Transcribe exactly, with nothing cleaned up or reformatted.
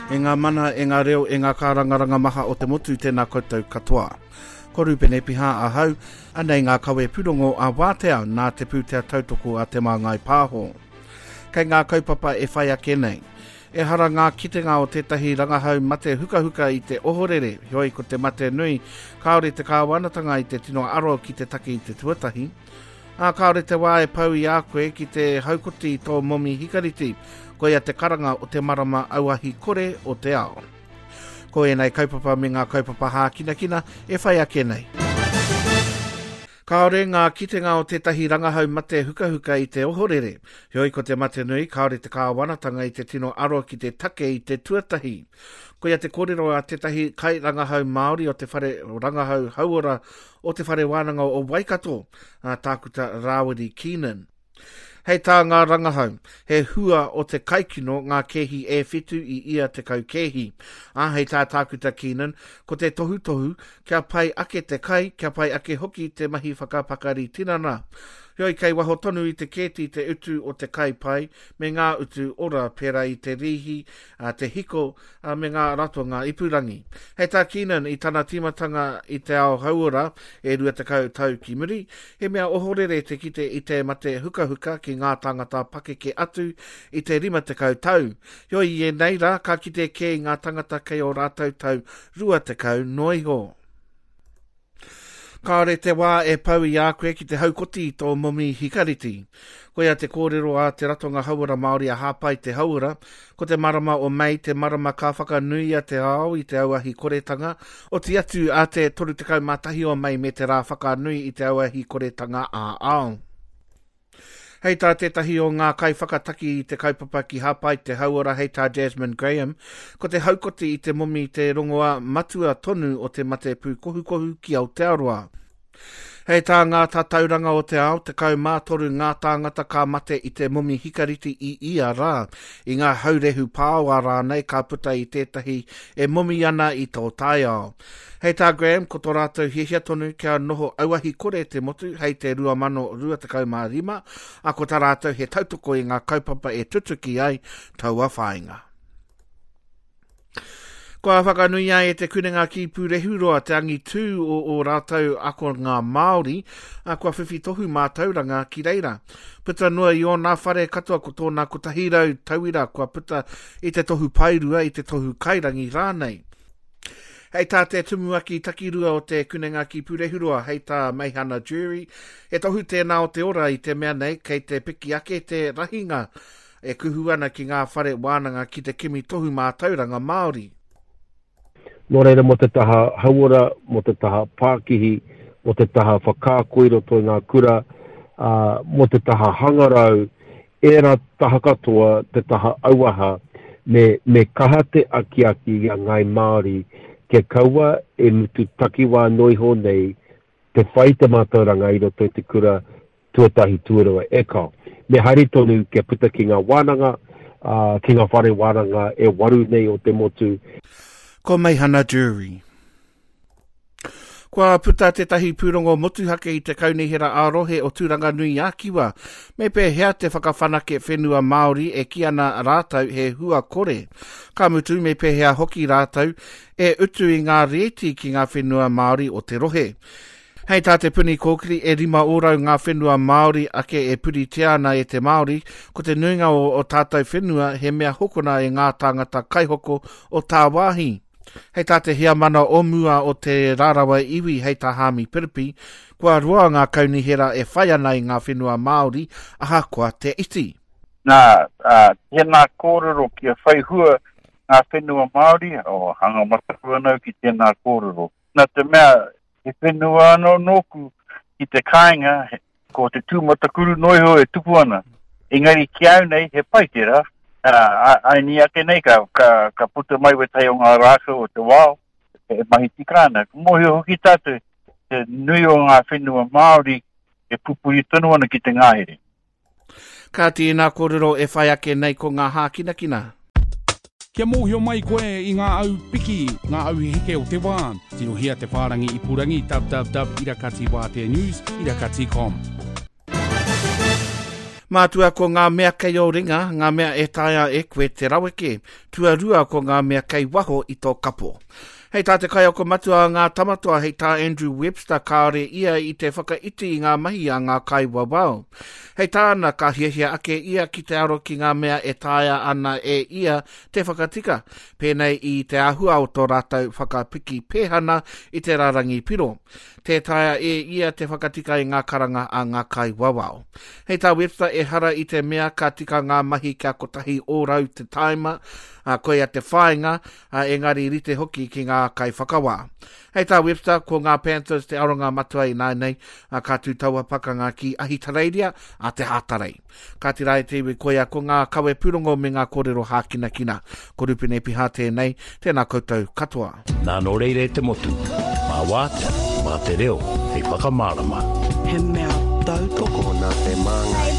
E ngā mana, e ngā reo, e ngā kārangaranga maha o te motu, tēnā koutou katoa. Ko Rupene Piha ahau, anei ngā kawe pūrongo a Wātea nā te pūtea tautoko a Te Māngai Pāho. Kei ngā kaupapa e whai ake nei. Ehara ngā kitenga o tētahi rangahau mate hukahuka i te ohorere, heoi ko te mate nui, kāore te kāwanatanga i te tino aro ki te take i te tuatahi. Ā, kāore te wā e pau i a koe ki te haukoti i tō momi hikariti, koia te karanga o te marama auahi kore o te ao. Ko ēnei kaupapa me ngā kaupapa hākinakina e whai ake nei. Kāore ngā kitenga o tētahi rangahau mate hukahuka i te ohorere. Heoi ko te mate nui, kāore te kāwanatanga i te tino aro ki te take i te tuatahi. Koia te kōrero a tētahi kairangahau Māori o te whare rangahau hauora o te whare wānanga o Waikato, a Tākuta Rāwiri Keenan. Hei tā ngā rangahau, he hua o te kaikino ngā kēhi e whitu i ia tekau kēhi. Ā, hei tā Tākuta Keenan, ko te tohutohu kia pai ake te kai, kia pai ake hoki te mahi whakapakari tinana. Heoi kei waho tonu i te kēti te utu o te kai pai me ngā utu ora pērā i te rīhi, te hiko me ngā ratonga ipurangi. Hei tā Keenan i tana tīmatanga i te ao hauora e rua tekau tau ki muri, he mea ohorere te kite i te mate hukahuka ki ngā tāngata pakeke atu i te rima tekau tau. Heoi i ēnei rā, ka kite kē i ngā tangata kei ō rātou tau rua tekau noa iho. Kāore te wā e pau i a koe ki te haukoti i tō momi hikariti. Koia te kōrero a te Ratonga Hauora Māori a Hāpai te Hauora, ko te marama o Mei te marama ka whakanuia te ao i te auahi koretanga, oti atu a te toru tekau mā tahi o Mei me te rā whakanui i te auahi koretanga ā-ao. Hei tā tētahi o ngā kaiwhakataki i te kaupapa ki Hāpai te Hauora hei tā Jasmine Graham, ko te haukoti i te momi te rongoā matua tonu o te mate pūkohukohu ki Aotearoa. Hei tā ngā tatauranga o te ao, tekau mā toru ngā tāngata ka mate i te momi hikariti i ia rā, i ngā haurehu pāoa rānei ka puta i tētahi e momi ana i tō taiao. Hei tā Graham, ko tō rātou hiahia tonu kia noho auahi kore te motu hei te rua mano rua tekau mā rima, ā, ko tā rātou he tautoko i ngā kaupapa e tutuki ai taua whāinga. Kua whakanuia e te Kunenga ki Pūrehuroa te angitū o ō rātou akonga Māori, ā, kua whiwhi tohu mātauranga ki reira. Puta noa i ōna whare katoa ko tōna kotahi rau tauira kua puta i te tohu paerua, i te tohu kairangi rānei. Hei tā te tumuaki takirua o te Kunenga ki Pūrehuroa, hei tā Meihana Jury, he tohu tēnā o te ora i te mea nei kei te piki ake te rahinga e kuhu ana ki ngā whare wānanga ki te kimi tohu mātauranga Māori. Nō reira mō te taha hauora, mō te taha pākihi, mō te taha whakaako i roto i ngā kura, ā, mō te taha hangarau, ērā taha katoa, te taha auaha, me, me kaha te akiaki i a Ngāi Māori kia kaua e mutu takiwā noa iho nei te whai te mātauranga i roto i te kura tuatahi tuarua e kao. Me haere tonu kia puta ki ngā wānanga, ā, ki ngā whare wānanga e waru nei o te motu. Ko Meihana Drury. Kua puta tētahi pūrongo motuhake i te Kaunihera ā-rohe o Tūranganui-a-Kiwa. Me pēhea te whakawhanake whenua Māori e kī ana rātou he hua kore. Ka mutu me pēhea hoki rātou e utu i ngā rēti ki ngā whenua Māori o te rohe. Hei tā Te Puni Kōkiri e rima ōrau ngā whenua Māori ake e puritia ana e te Māori, ko te nuinga o o tātou whenua he mea hokona e ngā tāngata kaihoko o tāwāhi. Hei tā te heamana o mua o te Rarawa iwi hei tā Haami Piripi, kua roa ngā kaunihera e whai ana i ngā whenua Māori ahakoa te iti. Nā, ā, tēnā kōrero kia whai hua ngā whenua Māori, oh, hanga mataku ana au ki tēnā kōrero. Nā te mea, he whenua anō nōku ki te kāinga, ko te tūmatakuru noa iho e tupu ana. Engari ki au nei, he pai tērā. Aini ake nei, ka, ka, ka puta mai wētahi o ngā rākau o te wao, e mahi tika ana. Ka mōhio hoki tātou, te nui o ngā whenua Māori e pupuri tonu ana ki te ngahere. Kāti ēnā kōrero e whai ake nei ko ngā hākinakina. Kia mōhio mai koe i ngā au piki, ngā au heke o te wā, tirohia te whārangi ipurangi www irakati wātea news irakati com. Mātua ko ngā mea kei ō ringa, ngā mea e taea e koe te raweke. Tuarua ko ngā mea kei waho i tō kapo. Hei tā te kaiako matua a ngā tamatoa, hei tā Andrew Webster, kāore ia i te whakaiti i ngā mahi a ngā kaiwawao. Hei tāna, ka hiahia ake ia ki te aro ki ngā mea e taea ana e ia te whakatika, pēnei i te āhua o tō rātou whakapiki pēhana i te rārangi piro. Tē taea e ia te whakatika i ngā karanga a ngā kaiwawao. Hei tā Webster, ehara i te mea ka tika ngā mahi kia kotahi ōrau te taima, a, koia te whāinga, a, engari rite hoki ki ngā kaiwhakawā. Hei tā Webster, ko ngā Panthers te aronga matua ināianei, a, ka tū taua pakanga ki Ahitereiria a te Hātarei. Kāti rā e te iwi koia ko ngā kawe pūrongo me ngā kōrero hākinakina. Ko Rupene Piha tēnei, tēnā koutou katoa. Nā nō reira e te motu, mā wātea, mā te reo, hei whakamārama. He mea tautoko Nā te māngai.